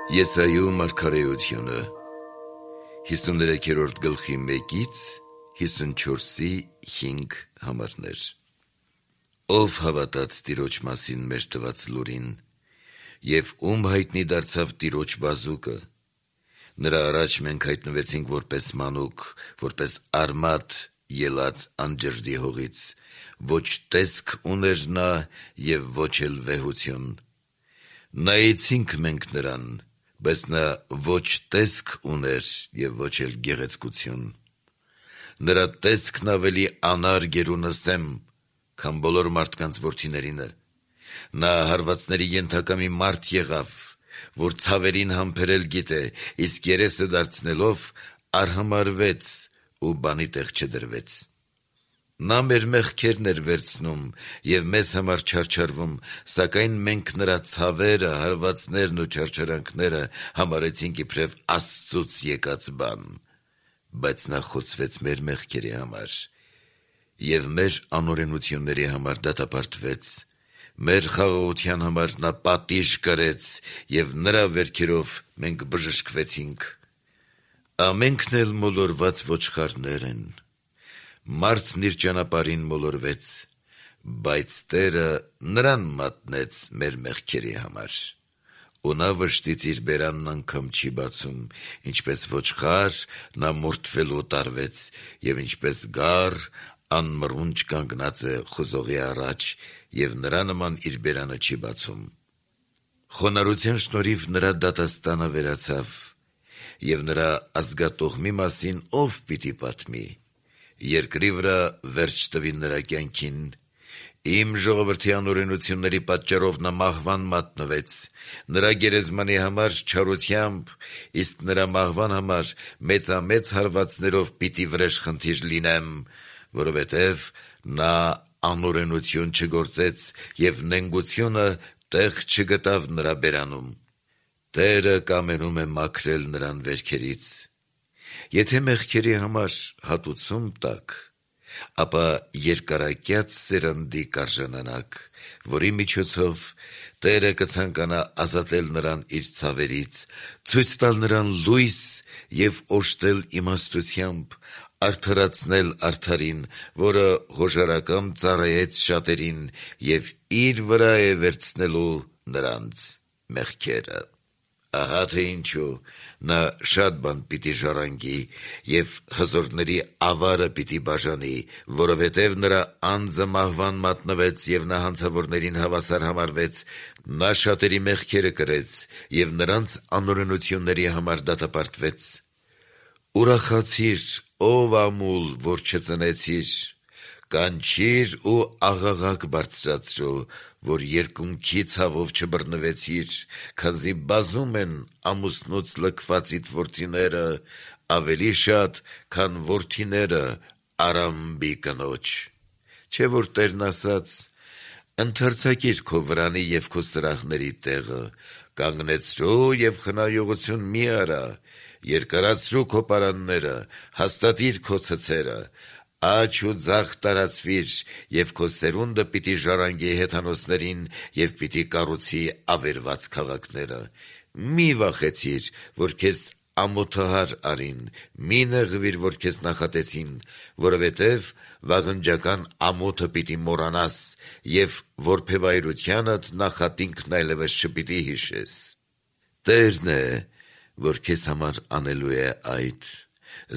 Եսայու մարգարեությունը 53-րդ գլխի 1-ից 54-5 համարներ։ Ով հավատաց Տիրոջ մասին մեր տված լուրին, և ում հայտնի դարձավ Տիրոջ բազուկը, նրա առաջ մենք հայտնվեցինք որպես մանուկ, որպես արմատ ելած անջրդի հողից, ոչ տեսք ուներ նա և ոչ էլ վեհություն, նայեցինք մենք նրան, բայց նա ոչ տեսք ուներ և ոչ էլ գեղեցկություն, նրա տեսքն ավելի անարգ էր ու նսեմ, քան բոլոր մարդկանց որդիներինը, նա հարվածների ենթակա մի մարդ եղավ, որ ցավերին համբերել գիտե, իսկ երեսը դարձնելով արհամարհվեց ու բանի տեղ չդրվեց, նա մեր մեղքերն էր վերցնում և մեզ համար չարչարվում, սակայն մենք նրա ցավերը, հարվածներն ու չարչարանքները համարեցինք իբրև Աստծուց եկած բան, բայց նա խոցվեց մեր մեղքերի համար և մեր անօրենությունների համար դատապարտվեց, մեր խաղաղության համար նա պատիժ կրեց և նրա վերքերով մենք բժշկվեցինք, ամենքն էլ մոլորված ոչխարներ են, մարդն իր ճանապարհին մոլորվեց, բայց Տերը նրան մատնեց մեր մեղքերի համար, ու նա վշտից իր բերանն անգամ չի բացում, ինչպես ոչխար նա մորթվելու տարվեց, և ինչպես գառ անմռունչ կանգնած է խոզողի առաջ, և նրա նման իր բերանը չի բացում, խոնարհության շնորհիվ նրա դատաստանը վերացավ, և նրա ազգատոհմի մասին ով պիտի պատմի, երկրի վրա վերջ տվի նրա կյանքին, իմ ժողովրդի անօրենությունների պատճառով նա մահվան մատնվեց, նրա գերեզմանի համար չարությամբ, իսկ նրա մահվան համար մեծամեծ հարվածներով պիտի վրեժխնդիր լինեմ, որովհետև նա անօրենություն չգործեց և նենգությունը տեղ չգտավ նրա բերանում, Տերը կամենում է մաքրել նրան վերքերից, եթե մեղքերի համար հատուցում տաք, ապա երկարակյաց սերնդի կարժանանաք, որի միջոցով Տերը կցանկանա ազատել նրան իր ցավերից, ցույց տալ նրան լույս և օժտել իմաստությամբ, արդարացնել արդարին, որը հոժարակամ ծառայեց շատերին և իր վրա է վերցնելու նրանց մեղքերը, ահա թե ինչու նա շատ բան պիտի ժառանգի և հզորների ավարը պիտի բաժանի, որովհետև նրա անձը մահվան մատնվեց և նա հանցավորներին հավասար համարվեց, նա շատերի մեղքերը կրեց և նրանց անօրենությունների համար դատապարտվեց, ուրախացիր, ով ամուլ, որ չծնեցիր, կանչիր ու աղաղակ բարձրացրու, որ երկունքի ցավով չբռնվեցիր, քանզի բազում են ամուսնուց լքվածիդ որդիները, ավելի շատ, քան որդիները Արամբի կնոջ, չէ՞ որ Տերն ասաց. «Ընդարձակիր քո վրանի և քո սրահների տեղը, կանգնեցրու և խնայողություն մի արա, երկարացրու քո պարանները, հաստատիր քո ցցերը, աջ ու ձախ տարածվիր, և քո սերունդը պիտի ժառանգի հեթանոսներին և պիտի կառուցի ավերված քաղաքները, մի վախեցիր, որ քեզ ամոթահար արին, մի նեղվիր, որ քեզ նախատեցին, որովհետև վաղնջական ամոթը պիտի մոռանաս և որբևայրությանդ նախատինքն այլևս չպիտի հիշես, Տերն է, որ քեզ համար անելու է այդ,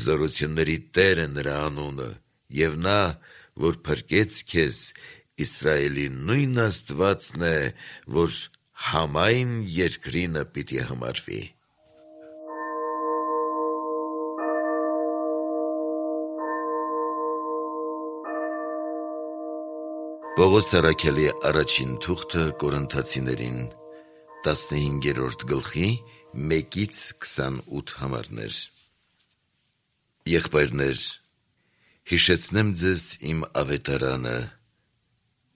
զորությունների Տերը նրա անունը, և նա, որ փրկեց քեզ, Իսրայելի նույն Աստվածն է, որ համայն երկրինը պիտի համարվի»։ Պողոս առաքյալի առաջին թուղթը Կորինթացիներին 15-րդ գլխի 1-ից 28 համարներ։ Եղբայրներ, հիշեցնեմ ձեզ իմ ավետարանը,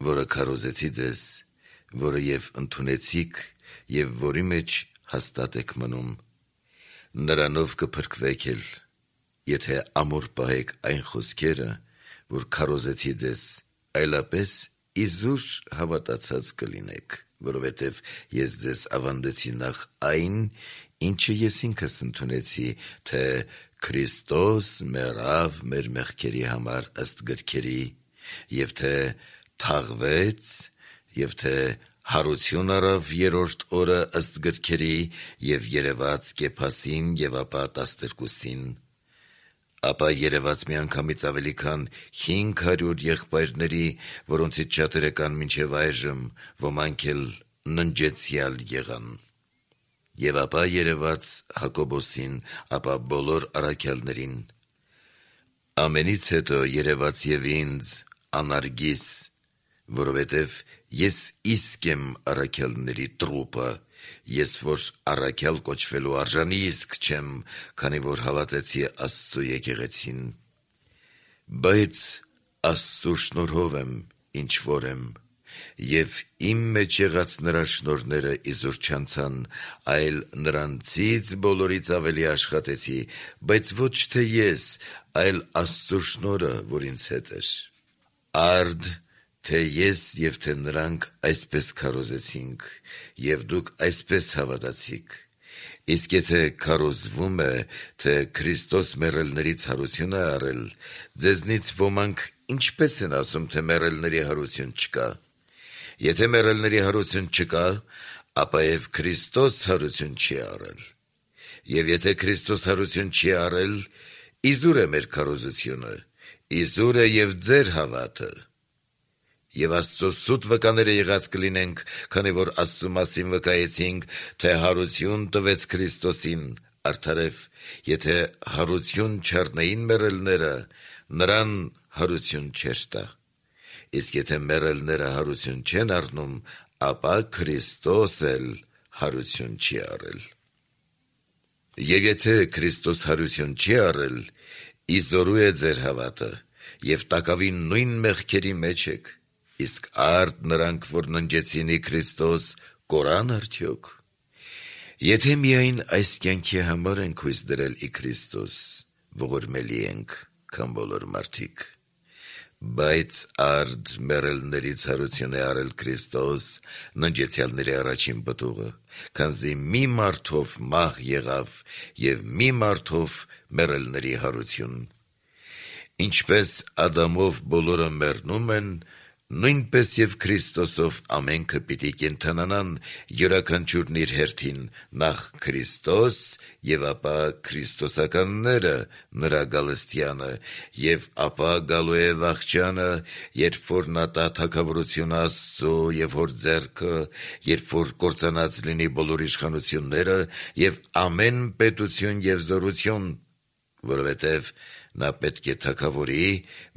որը քարոզեցի ձեզ, որը և ընդունեցիք և որի մեջ հաստատ եք մնում, նրանով կփրկվեք էլ, եթե ամուր պահեք այն խոսքերը, որ քարոզեցի ձեզ, այլապես իզուր հավատացած կլինեք, որովհետև ես ձեզ ավանդեցի նախ այն, ինչը ես ինքս ընդունեցի, թե Քրիստոս մեռավ մեր մեղքերի համար ըստ գրքերի, եւ թե թաղվեց, եւ թե հարություն առավ երրորդ օրը ըստ գրքերի, եւ երևաց Կեփասին եւ ապա 12-ին, ապա երևաց միանգամից ավելի քան 500 եղբայրների, որոնցից շատերը կան մինչև այժմ, ոմանք էլ ննջեցյալ եղան։ Եվ ապա երևաց Հակոբոսին, ապա բոլոր առաքյալներին։ Ամենից հետո երևաց եւ ինձ անարգիս, որովհետև ես իսկ եմ առաքյալների տրուպը, ես որ առաքյալ կոչվելու արժանի իսկ չեմ, քանի որ հավատեցի Աստծու եկեղեցին, բայց Աստծու շնորհով եմ, ինչ որ եմ, եւ իմ մեջ եղած նրա շնորհները իզուր չանցան, այլ նրանցից բոլորից ավելի աշխատեցի, բայց ոչ թե ես, այլ Աստծու շնորհը, որ ինձ հետ էր։ Արդ թե ես եւ թե նրանք այսպես քարոզեցինք, եւ դուք այսպես հավատացիք։ Իսկ եթե քարոզվում է, թե Քրիստոս մեռելներից հարություն է առել, ձեզնից ոմանք ինչպես են ասում, թե մեռելների հարություն չկա։ Եթե մեռելների հարություն չկա, ապա եւ Քրիստոս հարություն չի առել։ Եվ եթե Քրիստոս հարություն չի առել, իզուր է մեր քարոզությունը, իզուր է եւ ձեր հավատը։ Եվ Աստծո սուտ վկաները եղած կլինենք, քանի որ Աստծու մասին վկայեցինք, թե հարություն տվեց Քրիստոսին, արդարև, եթե հարություն չառնեին մեռելները, նրան հարություն չէր տա։ Իսկ եթե մեռելները հարություն չեն առնում, ապա Քրիստոս էլ հարություն չի առել։ Եվ եթե Քրիստոս հարություն չի առել, իզորու է ձեր հավատը, եւ տակավին նույն մեղքերի մեջ եք, իսկ արդ նրանք, որ ննջեցին ի Քրիստոս, կորան արդյոք։ Եթե միայն այս կյանքի համար ենք հույս դրել ի Քրիստոս, ողորմելի ենք, քան բոլոր մարդիկ։ Բայց արդ մեռելներից հարություն է առել Քրիստոս, ննջեցյալների առաջին պտուղը, քանզի մի մարդով մահ եղավ եւ մի մարդով մեռելների հարություն։ Ինչպես Ադամով բոլորը մեռնում են, նույնպես եւ Քրիստոսով ամենքը պիտի կենդանանան, յուրաքանչյուրն իր հերթին, նախ Քրիստոս եւ ապա քրիստոսականները նրա գալստյանը, եւ ապա գալու է վախճանը, երբ որ նա տա թագավորությունը Աստծո եւ հոր ձեռքը, երբ որ կործանած լինի բոլոր իշխանությունները եւ ամեն պետություն եւ զորություն, որովհետեւ նա պետք է թագավորի,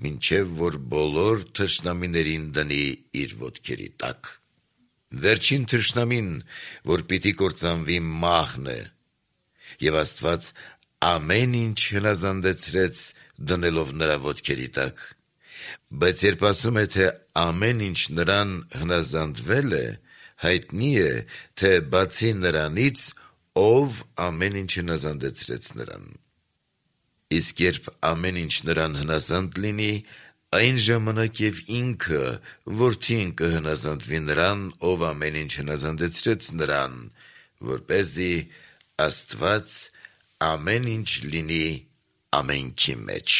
մինչև որ բոլոր թշնամիներին դնի իր ոտքերի տակ։ Վերջին թշնամին, որ պիտի կործանվի, մահն է, եւ Աստված ամեն ինչ հնազանդեցրեց դնելով նրա ոտքերի տակ։ Բայց երբ ասում է, թե ամեն ինչ նրան հնազանդվել է, հայտնի է, թե բացի նրանից, ով ամեն ինչ հնազանդեցրեց նրան։ Իսկ երբ ամեն ինչ նրան հնազանդ լինի, այն ժամանակ եւ ինքը որդին կհնազանդվի նրան, ով ամեն ինչ հնազանդեցրեց նրան, որպեսզի Աստված ամեն ինչ լինի ամենքի մեջ։